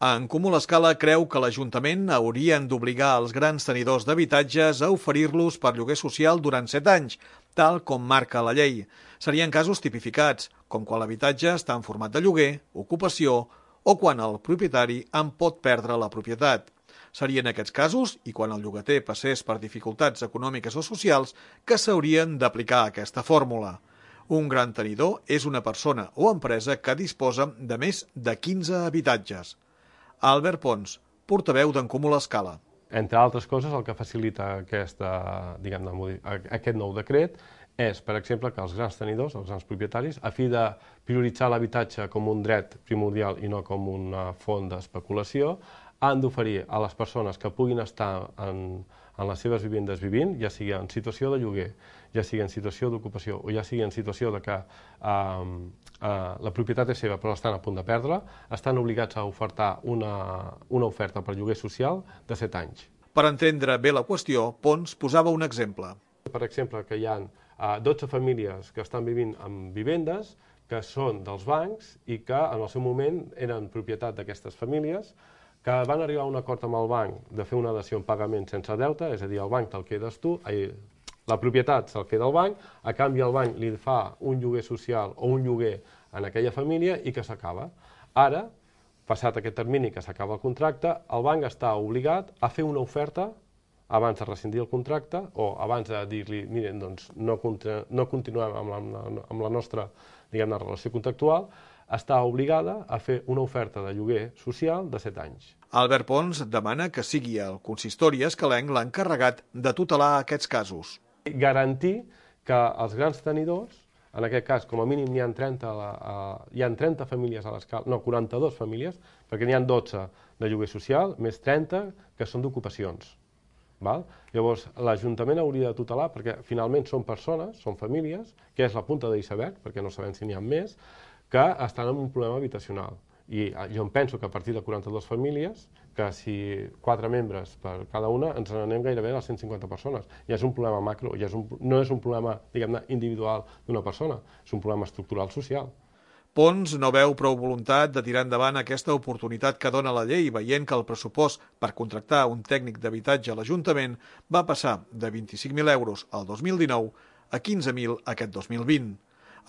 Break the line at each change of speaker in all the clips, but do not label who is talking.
En Comú l'Escala creu que l'Ajuntament haurien d'obligar els grans tenidors d'habitatges a oferir-los per lloguer social durant 7 anys, tal com marca la llei. Serien casos tipificats, com quan l'habitatge està en format de lloguer, ocupació o quan el propietari en pot perdre la propietat. Serien aquests casos, i quan el llogater passés per dificultats econòmiques o socials, que s'haurien d'aplicar aquesta fórmula. Un gran tenidor és una persona o empresa que disposa de més de 15 habitatges. Albert Pons, portaveu d'en Comú l'Escala.
Entre altres coses, el que facilita aquest nou decret és, per exemple, que els grans tenidors, els grans propietaris, a fi de prioritzar l'habitatge com un dret primordial i no com una font d'especulació, han d'oferir a les persones que puguin estar en les seves vivendes vivint, ja sigui en situació de lloguer, ja sigui en situació d'ocupació o ja sigui en situació de que la propietat és seva però estan a punt de perdre, estan obligats a ofertar una oferta per lloguer social de 7 anys.
Per entendre bé la qüestió, Pons posava un exemple.
Per exemple, que hi ha 12 famílies que estan vivint en vivendes que són dels bancs i que en el seu moment eren propietat d'aquestes famílies, que van arribar a un acord amb el banc de fer una dació en pagament sense deute, és a dir, el banc te'l quedes tu, la propietat se'l queda el banc, a canvi el banc li fa un lloguer social o un lloguer en aquella família i que s'acaba. Ara, passat aquest termini que s'acaba el contracte, el banc està obligat a fer una oferta abans de rescindir el contracte o abans de dir-li, miren, doncs no continuem amb la nostra, diguem-ne, relació contractual, està obligada a fer una oferta de lloguer social de 7 anys.
Albert Pons demana que sigui el consistori escalenc l'encarregat de tutelar aquests casos.
Garantir que els grans tenidors, en aquest cas com a mínim hi ha 30 famílies a l'escala, no, 42 famílies, perquè n'hi ha 12 de lloguer social, més 30 que són d'ocupacions. Llavors, l'Ajuntament hauria de tutelar, perquè finalment són persones, són famílies, que és la punta de l'iceberg, perquè no sabem si n'hi ha més, que estan en un problema habitacional. I jo em penso que a partir de 42 famílies, que si 4 membres per cada una, ens n'anem gairebé a les 150 persones. Ja és un problema macro, no és un problema, diguem-ne, individual d'una persona, és un problema estructural social.
Pons no veu prou voluntat de tirar endavant aquesta oportunitat que dona la llei, veient que el pressupost per contractar un tècnic d'habitatge a l'Ajuntament va passar de 25.000 euros al 2019 a 15.000 aquest 2020.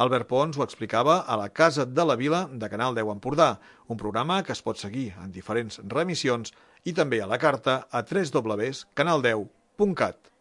Albert Pons ho explicava a la Casa de la Vila de Canal 10 Empordà, un programa que es pot seguir en diferents remissions i també a la carta a www.canal10.cat.